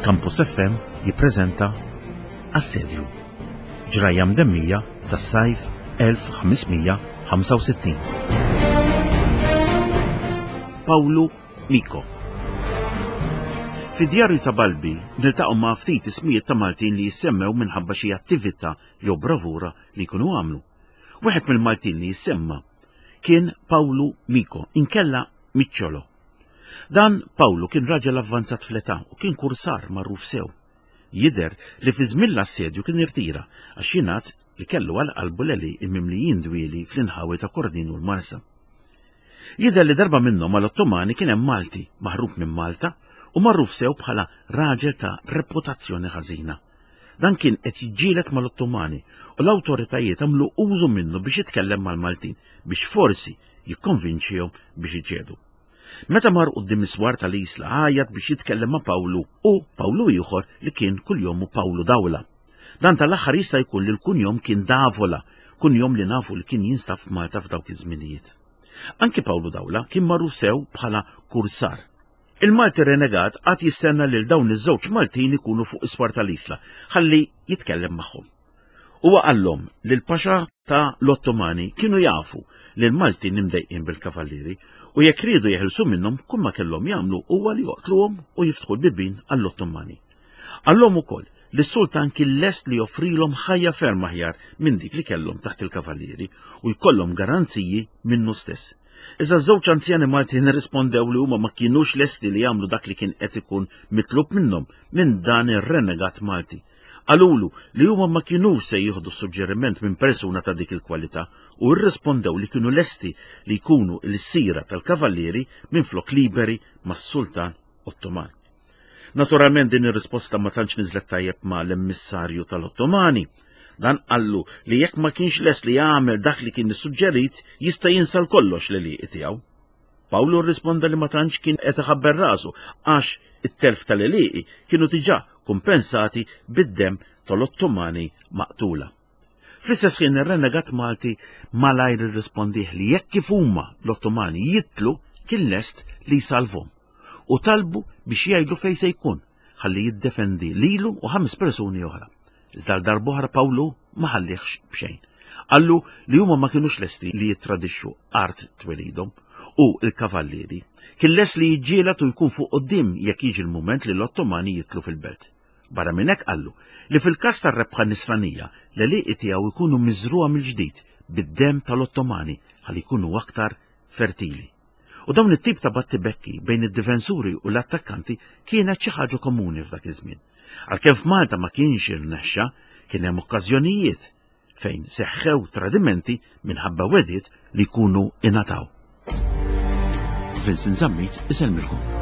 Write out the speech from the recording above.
Campus FM jippreżenta Assedju. Ġrajja mdemmija tas-sajf 1565. Pawlu Miko. Fid-djarju ta' Balbi niltaqgħu ma' ftit ismijiet ta' Maltin li jissemmew minħabba xi attività jew bravura li jkunu għamlu. Wieħed mill-Maltin li jissemma kien Pawlu Miko, inkella Micciolo. Dan Pawlu kien raġel avvanzat fl-età u kien kursar magħruf sew. Jidher li fi żmien l-assedju kien irtira għax jingħad li kellu għal qalbu l-għelieqi mimlijin dwieli fl-inħawi ta' Kordin u l-Marsa. Jidher li darba minnhom mal-Ottomani kien hemm Malti maħrub minn Malta u magħruf sew bħala raġel ta' reputazzjoni ħażina. Dan kien qed jiġġieled mal-Ottomani u l-awtoritajiet għamlu użu minnu biex jitkellem mal-Maltin biex forsi jikkonvinċihom biex iċedu. Meta mar quddiem is-swar tal-Isla għajat biex jitkellem ma' Pawlu u Pawlu ieħor li kien kuljomu Pawlu Dawla. Dan tal-aħħar jista' jkun li l-kunjom kien Davola, kunjom li nafu li kien jinstab f'Malta f'dawk iż-żminijiet. Anki Pawlu Dawla kien magħruf sew bħala kursar. Il-Malti renegat qagħad jistenna lil dawn iż-żewġ Maltin ikunu fuq is-swar tal-Isla ħalli jitkellem magħhom. Huwa qallhom li l-Paxa ta' l-Ottomani kienu jafu li l-Maltin imdejqin bil-kavallieri u jekk riedu jeħilsu minnhom kull ma kellhom jagħmlu huwa li joqtluhom u jiftħu l-bibien għall-Ottomani. Qallhom ukoll li s-sultan kien lest li joffrilhom ħajja ferm aħjar minn dik li kellhom taħt il-kavallieri u jkollhom garanziji minnu stess. Iżda ż-żewġ anzjani Maltin irrispondew li huma ma kinux lesti li jagħmlu dak li kien qed ikun mitlub minnhom minn dan ir-renegat Malti. Qalulu li huma ma kinux se jieħdu suġġeriment minn persuna ta' dik il-kwalità u rrispondew li kienu lesti li jkunu l-sira tal-kavallieri minflok liberi mas-Sultan Ottoman. Naturalment din ir-risposta ma tantx niżlet tajjeb ma' l-emissarju tal-Ottomani. Dan qallu li jekk ma kienx lest li jagħmel dak li kien issuġġerit, jista' jinsa l-kollox l-għelieqi tiegħu. Pawlu rrisponda li ma tantx kien qed iħabber rasu għax it-telf tal-għelieqi kienu diġà kumpensati bid-demm tal-Ottomani maqtula. Fl-istess ħin ir-renegat Malti malajr irrispondih li jekk kif huma l-Ottomani jitlu kien lest li jsalvhom u talbu biex jgħidlu fejn se jkun ħalli jiddefendi lilu u ħames persuni oħra. Iżda għal darb'oħra Pawlu ma ħallihx b'xejn. Qallu li huma ma kinux lesti li jittradixxu art twelidhom u l-kavallieri. Kien lest li jiġġieled u jkun fuq quddiem jekk jiġi l-mument li l-Ottomani jitlu fil-belt. Barra minn hekk qallu li fil-każ tar-rebħa Nisranija, l-għelieqi tiegħu jkunu miżrugħa mill-ġdid bid-demm tal-Ottomani ħalli jkunu aktar fertili. U dawn it-tip ta' battibekki bejn id-difensuri u l-attakkanti kienet xi ħaġa komuni f'dak iż-żmien. Għalkemm f'Malta ma kienx irnexxa, kien hemm okkażjonijiet fejn seħħew tradimenti minħabba wegħdiet li jkunu ingħataw. Vincent Zammit isellmilkom.